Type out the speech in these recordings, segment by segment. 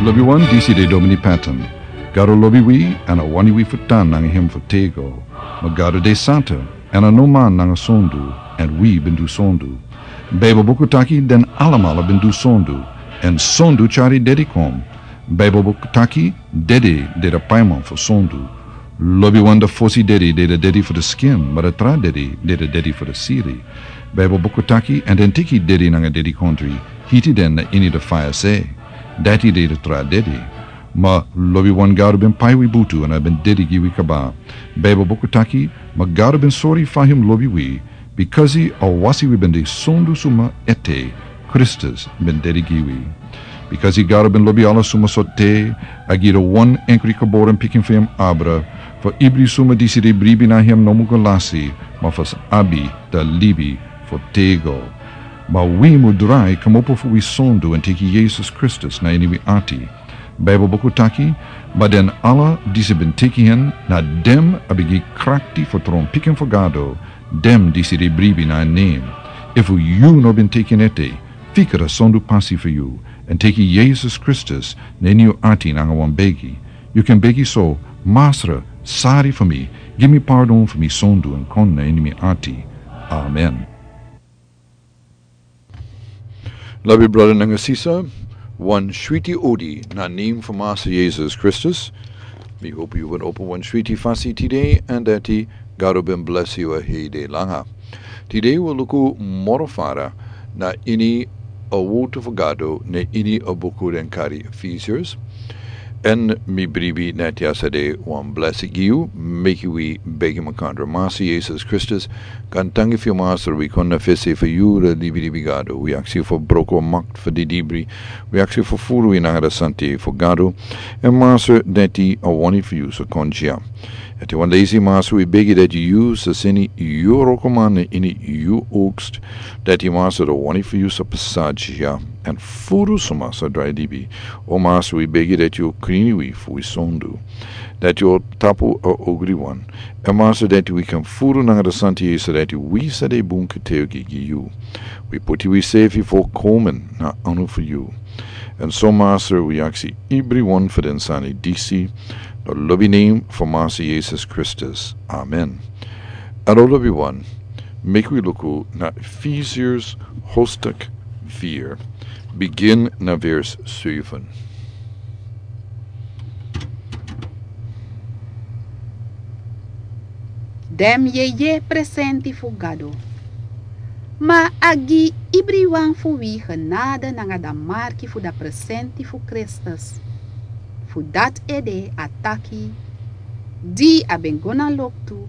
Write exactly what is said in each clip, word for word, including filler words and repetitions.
Lobi wan, disi de Domini Patton. Gado lobi wi, èn a wani wi fu tan nanga hem fu tego. Ma Gado de santa, èn a no man nanga sondu, èn wi ben du sondu. Baibel buku taki den alamala ben du sondu, èn sondu tyari dedi kon. Baibel buku taki dedi de da paiman fu sondu. Lobi wan, da fosi dedi de da dedi fu da skin, ma da tra dedi de da dedi fu da siri. Baibel buku taki, èn den teki dedi nanga dedi kondri, hiti den na ini da faya se. Dati de da tra dedi. Ma lobi wan, Gado ben pai wi butu èn a ben dedi gi wi kaba. Baibel buku taki, ma Gado ben sori fa hem lobi wi, bikasi a wasi wi ben de sondu suma ete, Kristus ben dedi gi wi. Bikasi Gado ben lobi ala suma so te, a gi da wan enkri geboren pikin fu hem abra, fu ibri suma disi de bribi na hem no mu go lasi, ma fu sa abi da libi fu tego. Ma wi mu drai kmopo fu wi sondu èn teki Yesus Kristus na ini wi ati. Baibel buku taki, ma den ala disi ben teki hen, na den a ben gi krakti fu tron pikin fu Gado, den disi de bribi na en nen. Efu yu no ben teki en ete, fika da sondu pasi fu yu, èn teki Yesus Kristus na ini yu ati nanga wan begi. Yu kan begi so: Masra, sari fu mi, gi mi pardon fu mi sondu èn kon na ini mi ati. Amen. Lobi brada nanga sisa, wan switi odi na nen fu Masra Yesus Kristus. Mi hopi yu ben opo wan switi fasi tide, èn dati Gado ben blesi yu a hei dei langa. Tide wi luku moro fara na ini a wotu fu Gado na ini a buku den kari Efesiers. Èn mi bribi na dati a sa de wan blesi gi yu, meki wi begi makandra. Masra Yesus Kristus, gaantangi fu yu Masra, wi kon na fesi fu yu, da libi libi Gado. Wi aksi yu fu broko makti fu di dibri. Wi aksi yu fu furu wi nanga da santi fu Gado. Èn Masra, dati a wani fu yu sa kon dya. Ete wan leisi Masra, wi begi dati yu sa seni yu wrokoman na ini yu oogst, dati Masra, da wani fu yu sa pasa dya, èn furu suma sa drai libi. O Masra, wi begi dati yu o krin wi fu wi sondu, dati yu o tapu a ogri wan. Èn Masra, dati wi kan furu nanga da santi, so dati wi sa de bun getuigi gi yu. Wi poti wi sefi volkomen na anu fu yu. Èn so Masra, wi aksi ibri wan fu den sani disi, na lobi nen fu Masra Yesus Kristus. Amen. Èn o lobi wan, meki wi luku na Efesiers hoofdstuk vier, bigin na vers zeven. Den yeye presenti fu Gado. Ma a gi ibriwan fu wi genade nanga da marki fu da presenti fu Kristus. Fu dati ede a taki: Di a ben go na loktu,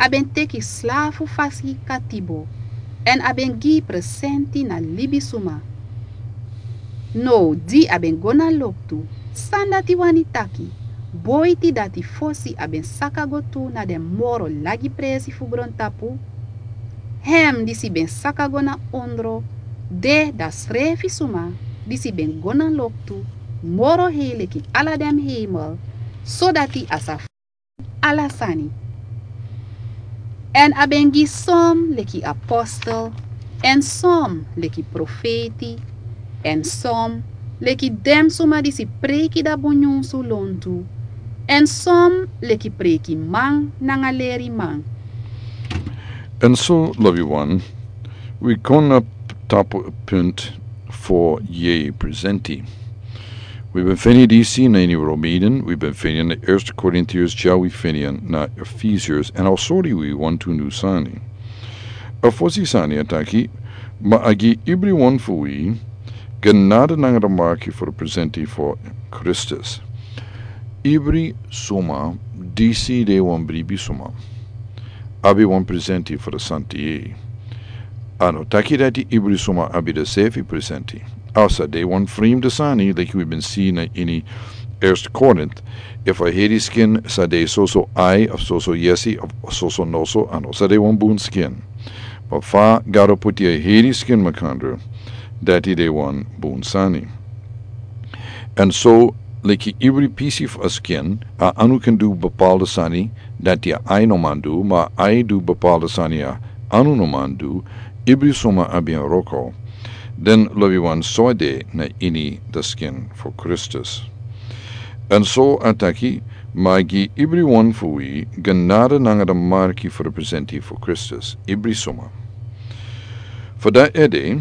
a ben teki slafu fasi katibo, èn a ben gi presenti na libisuma. Now di a ben go na loktu, san dati wani taki? Boiti dati fosi a ben saka go tu na den moro lagi presi fu grontapu? Hem disi ben saka go na ondro, de da srefi suma disi ben go na loktu moro hei leki ala den hemel, sodati a sa ala sani. Èn a ben gi son leki apostel, èn son leki profeti, èn son leki den suma disi preiki da bun nyunsu lontu, èn son leki preikiman nanga leriman. Èn so, lobiwan, wi kon na tapu punt fu yeye presenti. Wi ben feni disi na ini Romeinen, wi ben feni na Eerste Korintiërs, dya wi feni na Efesiërs, èn a o sori wi wantu nyun sani. A fosi sani a taki, ma a gi ibriwan fu wi genade nanga da marki fu da presenti fu Kristus. Ibri suma, disi de wan bribi suma, abi wan presenti fu da santi yeye. A no taki dati ibri suma abi da sefi presenti. A sa de wan fremde sani, leki wi ben si na ini Eerste Korint. Efu a heri skin sa de soso ai, of soso yesi, of soso noso, a no sa de wan bun skin. Ma fa Gado poti a heri skin makandra, dati de wan bun sani. Èn so, leki ibri pisi fu a skin, a anu kan du bepaalde sani dati a ai no man du, ma a ai du bepaalde sani a anu no man du, ibri suma abi en wroko. Den lobi wan so a de na ini den skin fu Kristus. Èn so a taki, ma a gi ibri wan fu wi genade nanga den marki fu representi fu Kristus, ibri suma. Fu dati ede,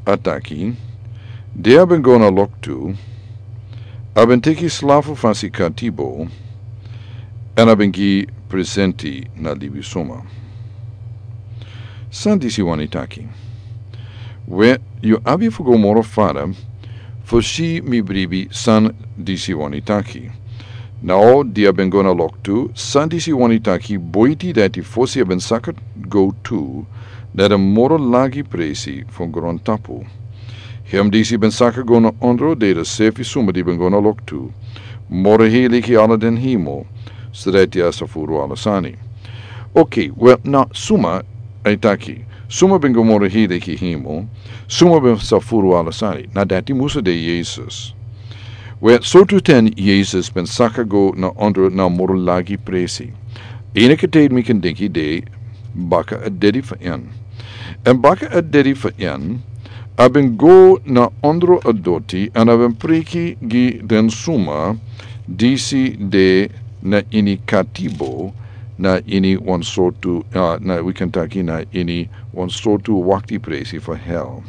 a taki, di a ben go na loktu, a ben teki slafu fasi katibo, èn a ben gi presenti na libisuma. San disi wani taki? We, yu abi fu go moro fara fu si mi bribi san disi wani taki. Now di a ben go na loktu, san disi wani taki boiti dati fosi a ben saka go tu na den moro lagi presi fu grontapu. Hem disi ben saka go na ondro de den sefi suma di ben go na loktu, moro hei leki ala den himo, so dati a sa furu ala sani. Ok, we, na suma a e taki, suma ben go moro hei leki himo, suma ben sa furu ala sani, na dati musu de Yesus. We, sortu ten Yesus ben saka go na ondro na moro lagi presi. Enige ten mi kan denki de baka a dedi fu en. Èn baka a dedi fu en, a ben go na ondro a doti, èn a ben preki gi den suma disi de na ini katibo, na ini wan sortu, ah, na wi kan taki na ini wan sortu wakti presi fu hel.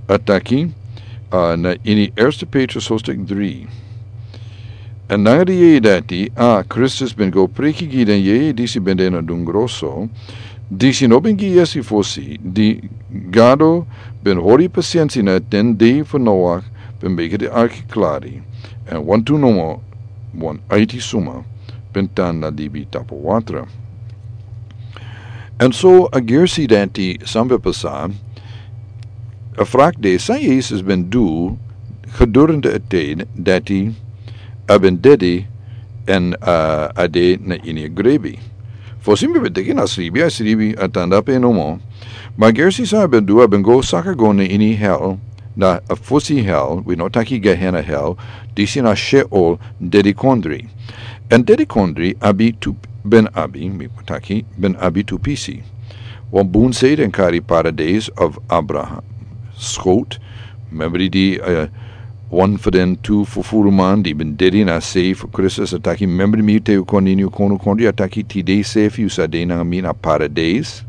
A taki, ah, na ini Erste Petrus hoofdstuk dri. Èn nanga di yeye dati, a Kristus ben go preki gi den yeye disi ben de na dungro so, disi no ben gi yesi fosi, di Gado ben hori pasiensi na den dei fu Noach ben meki den arki klari, èn wantu nomo wan aiti suma ben tan na libi tapu watra. Èn so a gersi dati san ben pasa, a frak de san Yesus ben du gedurende a ten dati a ben dedi èn, ah, a de na ini a grebi. Fosi mi ben teki na sribi, a sribi a tan dape nomo. Ma a gersi san a ben du, a ben go saka go na ini hel, na a fosi hel, wi no taki Gehenna hel, disi na Sheol, dedi kondri. Èn dedi kondri abi tu, ben abi, mi taki, ben abi tu pisi. Wan bun sei den kari paradijs of Abraham skot. Memri di, eh, wan fu den tu fufuruman di ben dedi na sei fu Kristus a taki, memri mi te yu kon ini yu kondri, a taki tide sefi yu sa de nanga mi na paradijs.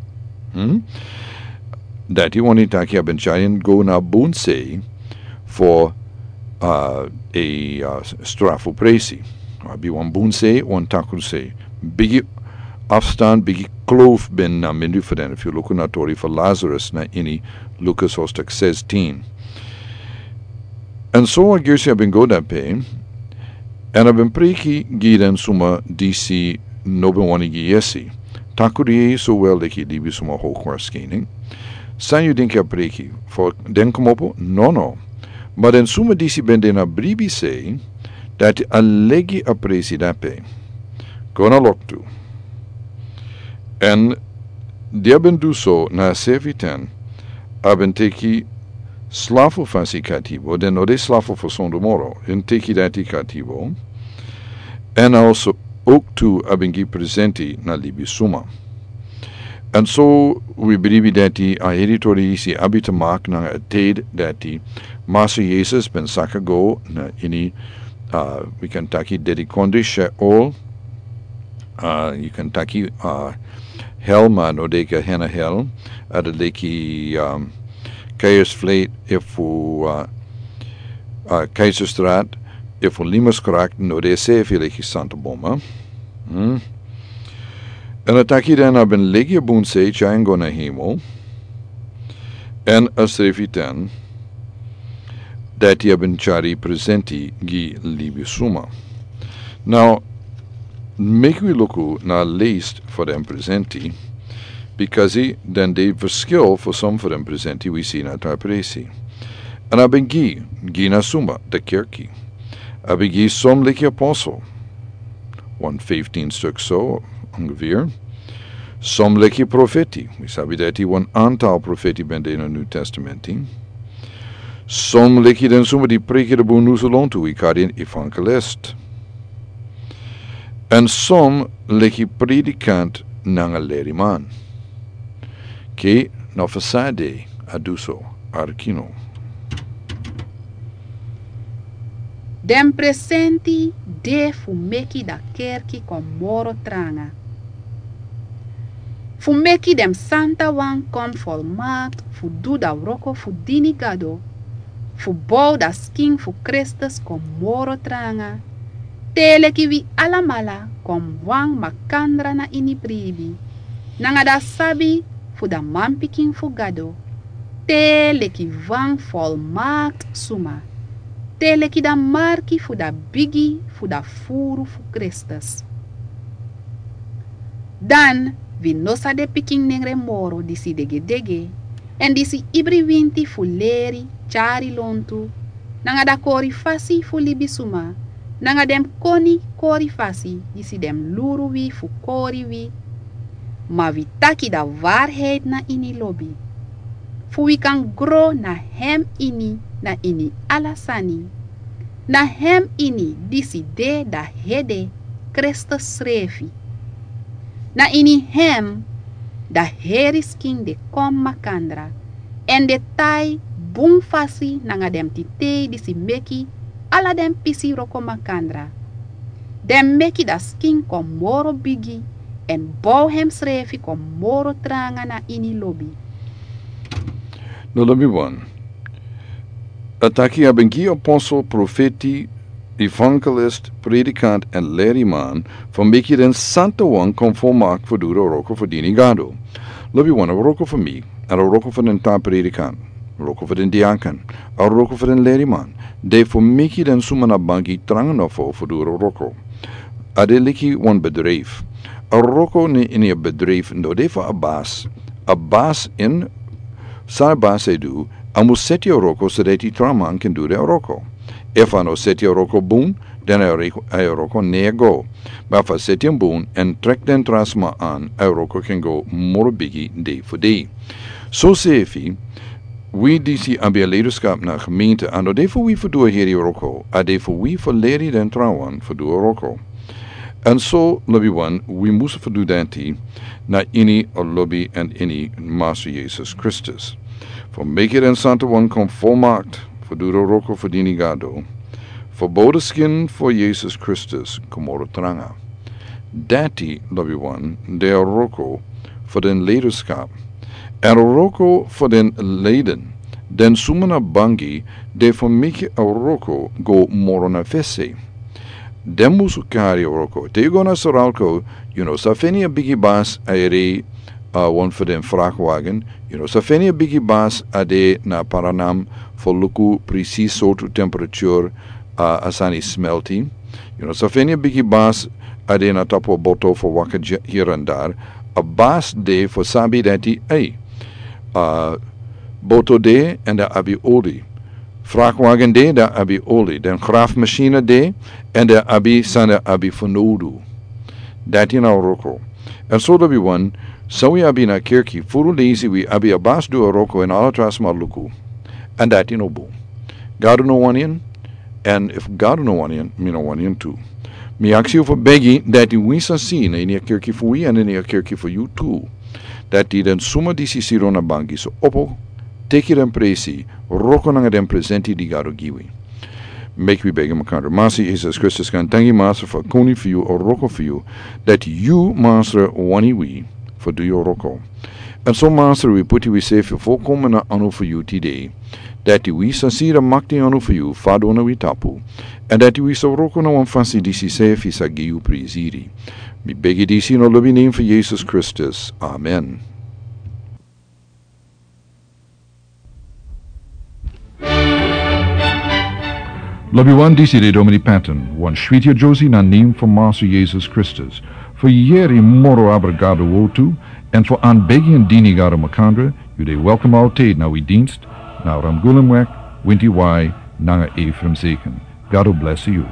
Hmm? Dati wani taki a ben tyari en go na bun sei fu, ah, a, ah, strafu presi. Abi wan bun sei, wan takru sei. Bigi afstand, bigi kloof ben na mindri fu den. Efu yu luku na tori fu Lazarus na ini Lukas hoofdstuk zestien. Èn so a gersi a ben go dape, èn a ben preki gi den suma disi no ben wani gi yesi. Takru yeye so wel leki libisuma hokwarskini. San yu denki a preki? Fu den komopo? Nono. Ma den suma disi ben de na bribi sei, dati a legi a presi dape. Go na loktu. Èn di a ben du so na a sefi ten, a ben teki slafu fasi katibo, den no de slafu fu sondu moro, èn teki dati katibo, èn also ook tu a ben gi presenti na libisuma. Èn so wi bribi dati a heri tori disi abi te maki nanga a ten dati Masra Yesus ben saka go na ini, ah, wi kan taki dedi kondri Sheol, ah, yu kan taki, ah, hel ma no de Gehenna hel, a de leki, um, Keizersvlei efu, ah, ah, Keizerstraat efu Limesgracht, no de sefi leki Santa Boma. Hmm? Èn a taki den a ben legi a bun sei tyari en go na hemel. Èn a srefi ten dati a ben tyari presenti gi libisuma. Now, meki wi luku na a list fu den presenti, bikasi den de verschil fu son fu den presenti wi si na a tra presi. Èn a ben gi, gi na suma, den kerki. A ben gi son leki apostel, wan fifteen stuk so, ongeveer. Son leki profeti, wi sabi dati wan antal profeti ben de na New Testamenti. Son leki den suma di preki a bun nusu lontu, wi kari en evangelist. Èn son leki predikant nanga leriman. Ke no fasade a du so, arki no. Den presenti de fu meki da kerki kon moro tranga. Fu meki den santa wan kon folmakti fu du da wroko fu dini Gado, fu bow da skin fu Kristus kon moro tranga, te leki wi alamala kon wan makandra na ini bribi, nanga da sabi fu da manpikin fu Gado, te leki wan folmakti suma, te leki da marki fu da bigi fu da furu fu Kristus. Dan wi no sa de pikin nengre moro disi degedege, èn disi ibri winti fu leri, tyari lontu, nanga da kori fasi fu libisuma, nanga den koni kori fasi disi den luru wi fu kori wi. Ma wi taki da waarheid na ini lobi, fu wi kan gro na hem ini, na ini ala sani. Na hem ini disi de da hede, Kristus srefi. Na ini hem da heri skin de kon makandra, èn de tai bun fasi nanga den titei disi meki ala den pisi wroko makandra. Den meki da skin kon moro bigi, èn bow hem srefi kon moro tranga na ini lobi. No lobi wan. A taki a ben gi apostel, profeti, evangelist, predikant èn leriman, fu meki den santa wan kon folmakti fu du da wroko fu dini Gado. Lobi wan, a wroko fu mi, èn a wroko fu den tra predikant, a wroko fu den diaken, a wroko fu den leriman, de fu meki den suma na bangi tranga nofo fu du da wroko. A de leki wan bedrijf. A wroko na ini a bedrijf no de fu a basi. A basi, san a basi e du, a mus seti a wroko so dati tra man kan du den wroko. Efu a no seti a wroko bun, dan a wroko, a wroko no e go. Ma efu a seti en bun èn trek den tra sma an, a wroko kan go moro bigi dei fu dei. Soseefi, wi disi abi a leiderskap na gemeente, a no de fu wi fu du a heri wroko, a de fu wi fu leri den trawan fu du a wroko. Èn so, lobi wan, wi mus fu du dati na ini a lobi èn ini Master Yesus Kristus. Fu meki den santa wan kon folmakti fu du da wroko fu dini Gado. Fu bow da skin fu Yesus Kristus kon moro tranga. Dati, lobi wan, de a wroko fu den leiderskap. Èn a wroko fu den leiden, den suma na bangi, de fu meki a wroko go moro na fesi. Den mus kari a wroko. Te yu go na Suralco, yu no sa feni a bigi basi a e rei, a wan fu den vrachtwagen. Yu no sa feni a bigi basi a de na Paraná fu luku precies sortu temperature a, a sani smelti. Yu no sa feni a bigi basi a de na tapu a boto fu waka hier en daar. A basi de fu sabi dati, ei, a boto de èn a abi oli. Vrachtwagen de, dan abi oli. Den graafmachine de, èn dan abi san den abi fu nodu. Dati na a wroko. Èn so, lobi wan, san wi abi na kerki, furu leisi wi abi a basi du a wroko èn ala tra sma luku. Èn dati no bun. Gado no wani en, èn efu Gado no wani en, mi no wani en tu. Mi aksi yu fu begi dati wi sa si na ini a kerki fu wi èn ini a kerki fu yu tu, dati den suma disi sidon na bangi sa opo, teki den presi, wroko nanga den presenti di Gado gi wi. Meki wi begi makandra. Master Yesus Kristus, gaantangi Master fu a koni fu yu, a wroko fu yu, dati yu Master wani wi fu du yu wroko. Èn so Master, wi poti wi sefi folkomen na anu fu yu tide, dati wi sa si a makti anu fu yu fadon na wi tapu, èn dati wi sa wroko na wan fasi disi sefi sa gi yu prisiri. Mi begi disi na lobi nen fu Yesus Kristus. Amen. Lobi wan, disi de Domini Patton, wan switi a Josi na nen fu Master Yesus Kristus. Fu yeri moro abra Gado wortu, èn fu anbegi èn dini Gado makandra, yu de welkom altijd na wi dienst, na Ramgulemweg, Winti Wai, nanga Ephraim Zeken. Gado blesi yu.